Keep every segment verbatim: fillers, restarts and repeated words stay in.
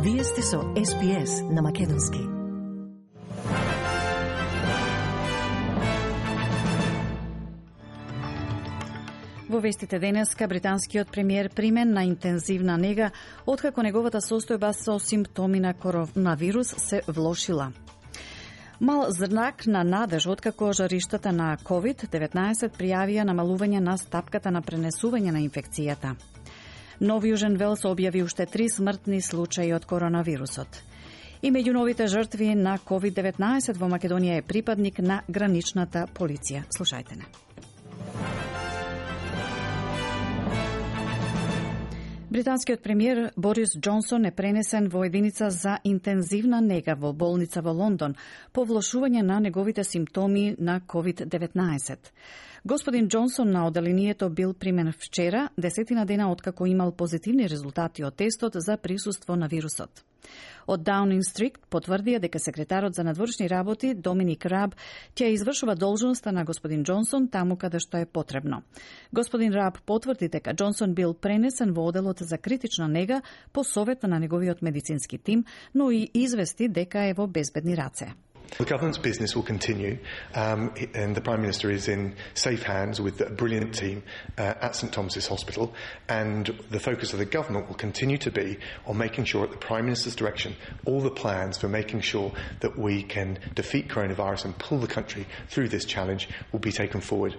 Вие сте со Ес Би Ес на Македонски. Во вестите денеска, британскиот премиер примен на интензивна нега откако неговата состојба со симптоми на коронавирус се влошила. Мал знак на надеж откако жариштата на ковид деветнаесет пријавија намалување на стапката на пренесување на инфекцијата. Нов Јужен Велс објави уште три смртни случаи од коронавирусот. И меѓу новите жртви на ковид деветнаесет во Македонија е припадник на граничната полиција. Слушајте не. Британскиот премиер Борис Џонсон е пренесен во единица за интензивна нега во болница во Лондон по влошување на неговите симптоми на ковид деветнаесет. Господин Џонсон на оделението бил примен вчера, десетина дена откако имал позитивни резултати од тестот за присуство на вирусот. Од Даунинг Стрит потврдија дека секретарот за надворешни работи Доминик Раб ќе извршува должноста на господин Џонсон таму каде што е потребно. Господин Раб потврди дека Џонсон бил пренесен во оделот за критична нега по совет на неговиот медицински тим, но и извести дека е во безбедни раце. The government's business will continue, um, and the Prime Minister is in safe hands with a brilliant team uh, at St Thomas's Hospital, and the focus of the government will continue to be on making sure at the Prime Minister's direction all the plans for making sure that we can defeat coronavirus and pull the country through this challenge will be taken forward.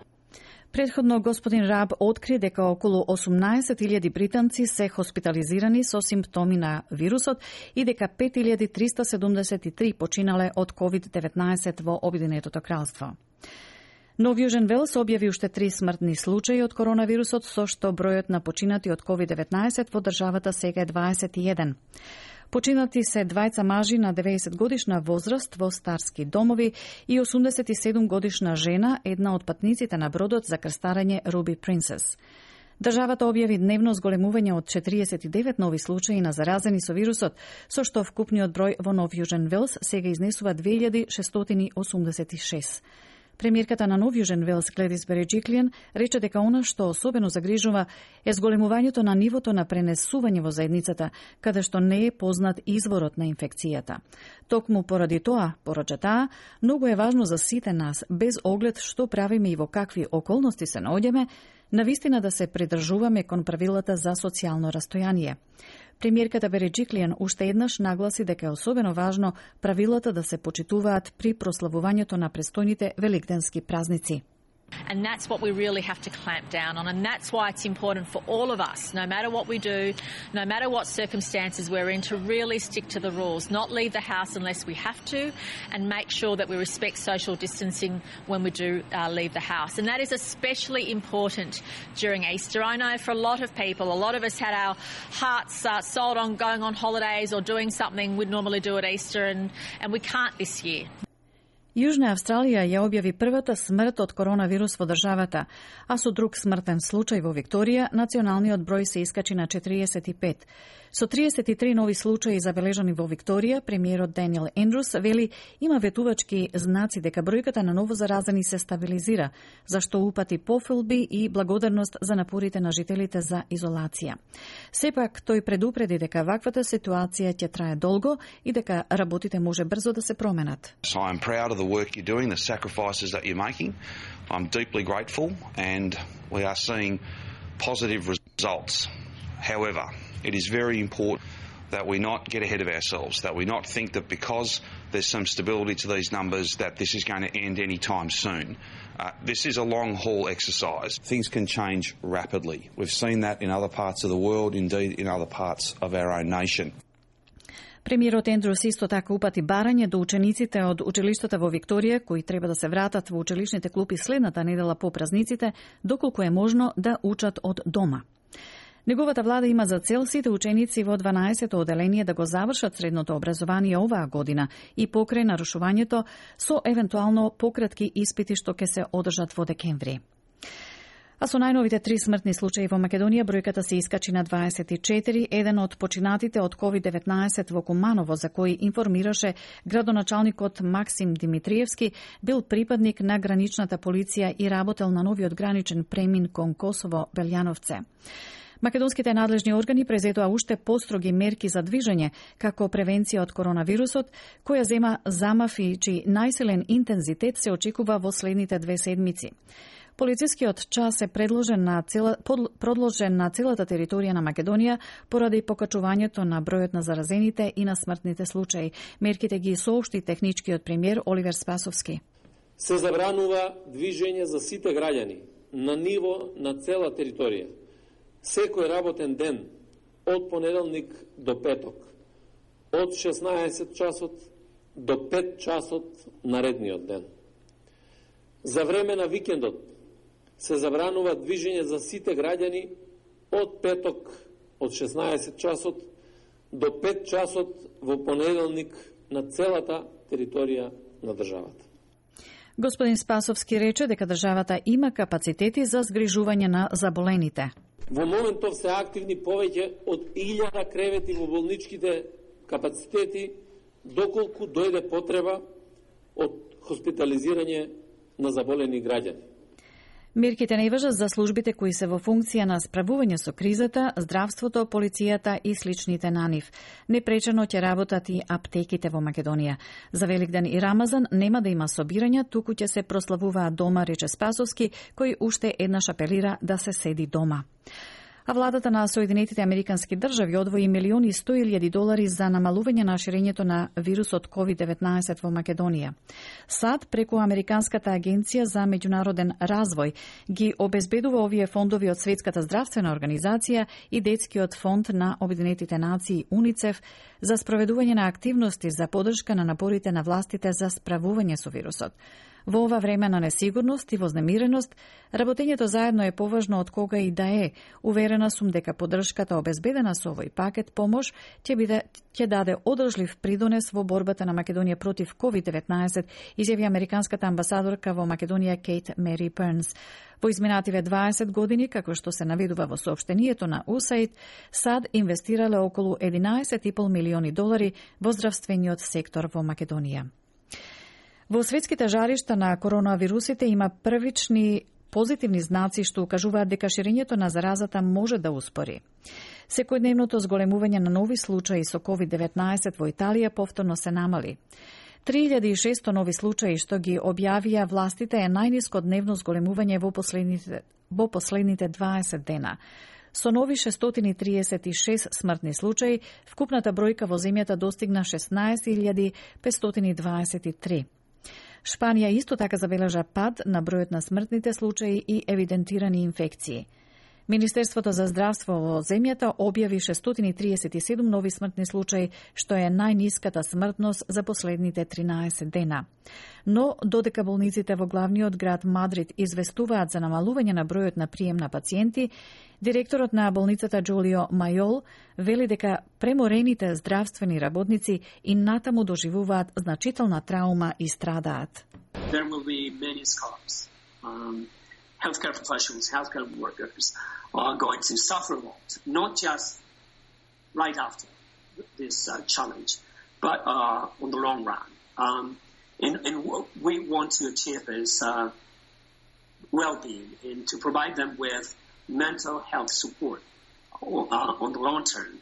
Предходно господин Раб откри дека околу осумнаесет илјади британци се хоспитализирани со симптоми на вирусот и дека пет илјади триста седумдесет и три починале од ковид деветнаесет во Обединетото кралство. Нов Јужен Велс објави уште три смртни случаи од коронавирусот, со што бројот на починати од ковид деветнаесет во државата сега е дваесет и еден. Починати се двајца мажи на деветдесет годишна возраст во старски домови и осумдесет и седум годишна жена, една од патниците на бродот за крстарење Руби Принцес. Државата објави дневно зголемување од четириесет и девет нови случаи на заразени со вирусот, со што вкупниот број во Нов Јужен Велс сега изнесува две илјади шестстотини осумдесет и шест. Премиерката на Нов Јужен Велс Гледис Береџиклијан рече дека она што особено загрижува е зголемувањето на нивото на пренесување во заедницата, каде што не е познат изворот на инфекцијата. Токму поради тоа, порача таа, многу е важно за сите нас, без оглед што правиме и во какви околности се наоѓаме, навистина да се придржуваме кон правилата за социјално растојание. Премиерката Береџиклијан уште еднаш нагласи дека е особено важно правилата да се почитуваат при прославувањето на престојните великденски празници. And that's what we really have to clamp down on, and that's why it's important for all of us, no matter what we do, no matter what circumstances we're in, to really stick to the rules, not leave the house unless we have to, and make sure that we respect social distancing when we do uh, leave the house. And that is especially important during Easter. I know for a lot of people, a lot of us had our hearts uh, sold on going on holidays or doing something we'd normally do at Easter, and, and we can't this year. Јужна Австралија ја објави првата смрт од коронавирус во државата, а со друг смртен случај во Викторија, националниот број се искачи на четириесет и пет. Со триесет и три нови случаи забележани во Викторија, премиерот Даниел Ендрус вели има ветувачки знаци дека бројката на ново заразени се стабилизира, зашто упати пофелби и благодарност за напорите на жителите за изолација. Сепак, тој предупреди дека ваквата ситуација ќе трае долго и дека работите може брзо да се променат. So I'm proud of the work you're doing, the sacrifices that you're making. I'm deeply grateful, and we are seeing positive results. However, it is very important that we not get ahead of ourselves, that we not think that because there's some stability to these numbers that this is going to end any time soon. Uh, this is a long-haul exercise. Things can change rapidly. We've seen that in other parts of the world, indeed in other parts of our own nation. Премиерот Ендрус исто така упати барање до учениците од училиштата во Викторија, кои треба да се вратат во училишните клупи следната недела по празниците, доколку е можно да учат од дома. Неговата влада има за цел сите ученици во дванаесетто оделение да го завршат средното образование оваа година и покрај нарушувањето со евентуално пократки испити што ќе се одржат во декември. А со најновите три смртни случаи во Македонија, бројката се искачи на дваесет и четири, еден од починатите од ковид деветнаесет во Куманово, за кој информираше градоначалникот Максим Димитриевски, бил припадник на граничната полиција и работел на новиот граничен премин кон Косово Белјановце. Македонските надлежни органи презетоа уште построги мерки за движење како превенција од коронавирусот, која зема замафи чиј најсилен интензитет се очекува во следните две седмици. Полицискиот час е предложен на цела, продложен на целата територија на Македонија поради покачувањето на бројот на заразените и на смртните случаи. Мерките ги соопшти техничкиот премиер Оливер Спасовски. Се забранува движење за сите граѓани на ниво на цела територија. Секој работен ден од понеделник до петок, од шеснаесет часот до пет часот наредниот ден. За време на викендот се забранува движење за сите граѓани од петок од шеснаесет часот до пет часот во понеделник на целата територија на државата. Господин Спасовски рече дека државата има капацитети за згрижување на заболените. Во моментов се активни повеќе од илјада кревети во болничките капацитети, доколку дојде потреба од хоспитализирање на заболени граѓани. Мерките не важат за службите кои се во функција на справување со кризата, здравството, полицијата и сличните на нив. Непречено ќе работат и аптеките во Македонија. За Великден и Рамазан нема да има собирања, туку ќе се прославуваат дома, рече Спасовски, кој уште еднаш апелира да се седи дома. А владата на Соединетите Американски држави одвои милиони и сто илјади долари за намалување на ширењето на вирусот ковид деветнаесет во Македонија. САД преку Американската агенција за меѓународен развој ги обезбедува овие фондови од Светската здравствена организација и Детскиот фонд на Обединетите нации УНИЦЕФ за спроведување на активности за поддршка на напорите на властите за справување со вирусот. Во ова време на несигурност и вознемиреност, работењето заедно е поважно од кога и да е. Уверена сум дека поддршката обезбедена со овој пакет помош ќе биде ќе даде одржлив придонес во борбата на Македонија против ковид деветнаесет, изјави американската амбасадорка во Македонија Кейт Мери Пернс. Во изминативе дваесет години, како што се наведува во соопштението на ю ес ей ай ди, САД инвестирале околу единаесет и пол милиони долари во здравствениот сектор во Македонија. Во светските жаришта на коронавирусите има првични позитивни знаци што укажуваат дека ширењето на заразата може да успори. Секојдневното зголемување на нови случаи со ковид деветнаесет во Италија повторно се намали. три илјади и шесто нови случаи што ги објавија властите е најниско дневно зголемување во последните, во последните дваесет дена. Со нови шестстотини триесет и шест смртни случаи, вкупната бројка во земјата достигна шеснаесет илјади петстотини дваесет и три. Шпанија исто така забележа пад на бројот на смртните случаи и евидентирани инфекции. Министерството за здравство во земјата објави шестстотини триесет и седум нови смртни случаи, што е најниската смртност за последните тринаесет дена. Но, додека болниците во главниот град Мадрид известуваат за намалување на бројот на прием на пациенти, директорот на болницата Джулио Мајол вели дека преморените здравствени работници и натаму доживуваат значителна траума и страдаат. There will be many scars. Um... Healthcare professionals, healthcare workers are going to suffer a lot, not just right after this uh, challenge, but uh, on the long run. Um, and, and we want to achieve is uh, well-being and to provide them with mental health support uh, on the long term.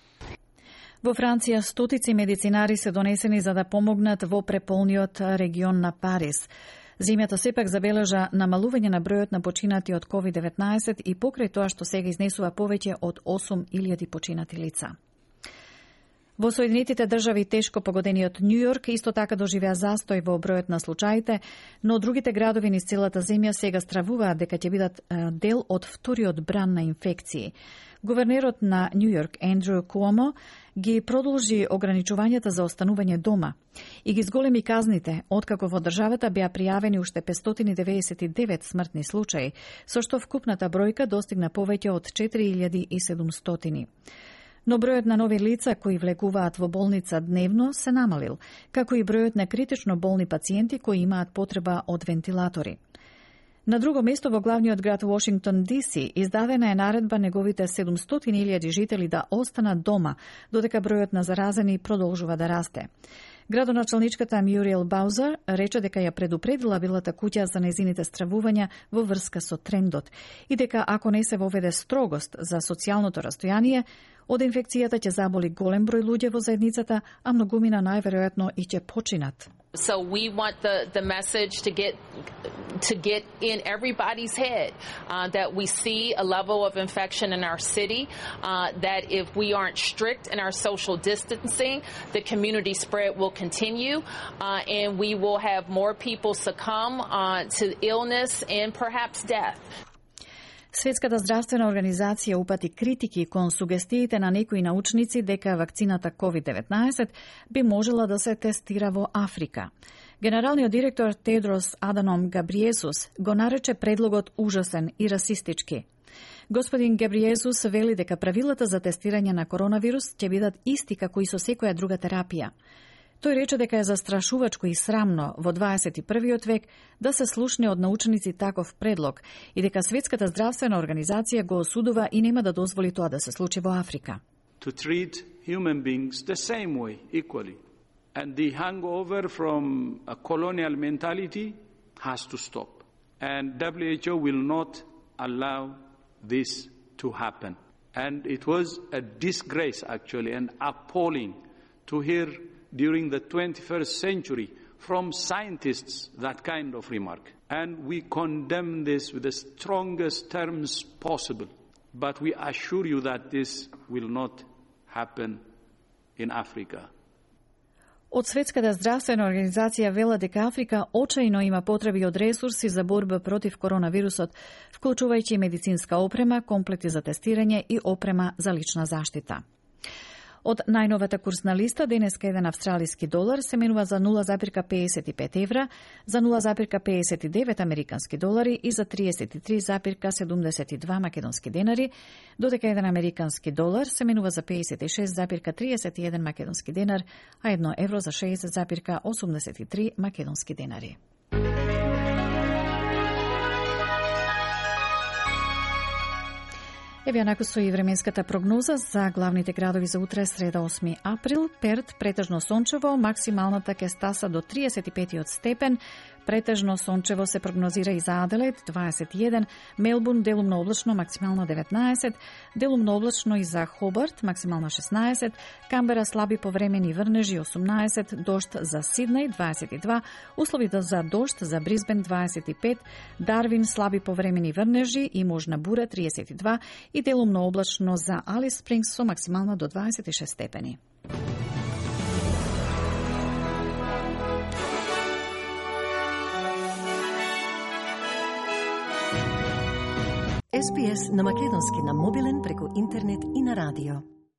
Во Франција стотици медицинари се донесени за да помогнат во преполниот регион на Париз. Земјата сепак забележа намалување на бројот на починати од ковид деветнаесет и покрај тоа што сега изнесува повеќе од осум илјади починати лица. Во Соединетите држави тешко погодениот Њујорк исто така доживеа застој во бројот на случаите, но другите градови низ целата земја сега стравуваат дека ќе бидат дел од вториот бран на инфекции. Гувернерот на Њујорк Ендрю Куомо ги продолжи ограничувањата за останување дома и ги зголеми казните, откако во државата беа пријавени уште петстотини деведесет и девет смртни случаи, со што вкупната бројка достигна повеќе од четири илјади и седумстотини. Но бројот на нови лица кои влегуваат во болница дневно се намалил, како и бројот на критично болни пациенти кои имаат потреба од вентилатори. На друго место во главниот град Вашингтон Ди Си издадена е наредба неговите седумстотини илјади жители да останат дома, додека бројот на заразени продолжува да расте. Градоначалничката Мюриел Баузер рече дека ја предупредила билата куќа за нејзините стравувања во врска со трендот и дека ако не се воведе строгост за социјалното растојание, од инфекцијата ќе заболи голем број луѓе во заедницата, а многумина најверојатно и ќе починат. So we want the, the message to get to get in everybody's head uh, that we see a level of infection in our city, uh, that if we aren't strict in our social distancing, the community spread will continue, uh, and we will have more people succumb uh, to illness and perhaps death. Светската здравствена организација упати критики кон сугестиите на некои научници дека вакцината ковид деветнаесет би можела да се тестира во Африка. Генералниот директор Тедрос Аданом Габриесус го нарече предлогот ужасен и расистички. Господин Габриесус вели дека правилата за тестирање на коронавирус ќе бидат исти како и со секоја друга терапија. Тој рече дека е застрашувачко и срамно во дваесет и првиот век да се слушне од научници таков предлог и дека Светската здравствена организација го осудува и нема да дозволи тоа да се случи во Африка. To treat human beings the same way, equally. And the hangover from a colonial mentality has to stop. And W H O will not allow this to happen. And it was a disgrace, actually, and appalling to hear during the twenty-first century from scientists that kind of remark. And we condemn this with the strongest terms possible. But we assure you that this will not happen in Africa. Од Светската здравствена организација вела дека Африка очајно има потреби од ресурси за борба против коронавирусот, вклучувајќи медицинска опрема, комплети за тестирање и опрема за лична заштита. Од најновата курсна листа, денеска еден австралиски долар се менува за нула запирка педесет и пет евра, за нула запирка педесет и девет американски долари и за триесет и три запирка седумдесет и два македонски денари, додека еден американски долар се менува за педесет и шест запирка триесет и еден македонски денар, а едно евро за шеесет запирка осумдесет и три македонски денари. Еве онаку со и временската прогноза за главните градови за утре, среда осми април. Перт претежно сончево, максималната ќе стаса до триесет и пет степен. Претежно сончево се прогнозира и за Аделаид дваесет и еден, Мелбурн делумно облачно, максимално деветнаесет, делумно облачно и за Хобарт, максимално шеснаесет, Камбера слаби повремени врнежи осумнаесет, дожд за Сиднеј дваесет и два, услови за дожд за Брисбен дваесет и пет, Дарвин слаби повремени врнежи и можна бура триесет и два и делумно облачно за Алис Спрингс со максимално до дваесет и шест степени. Ес Би Ес на македонски на мобилен преку интернет и на радио.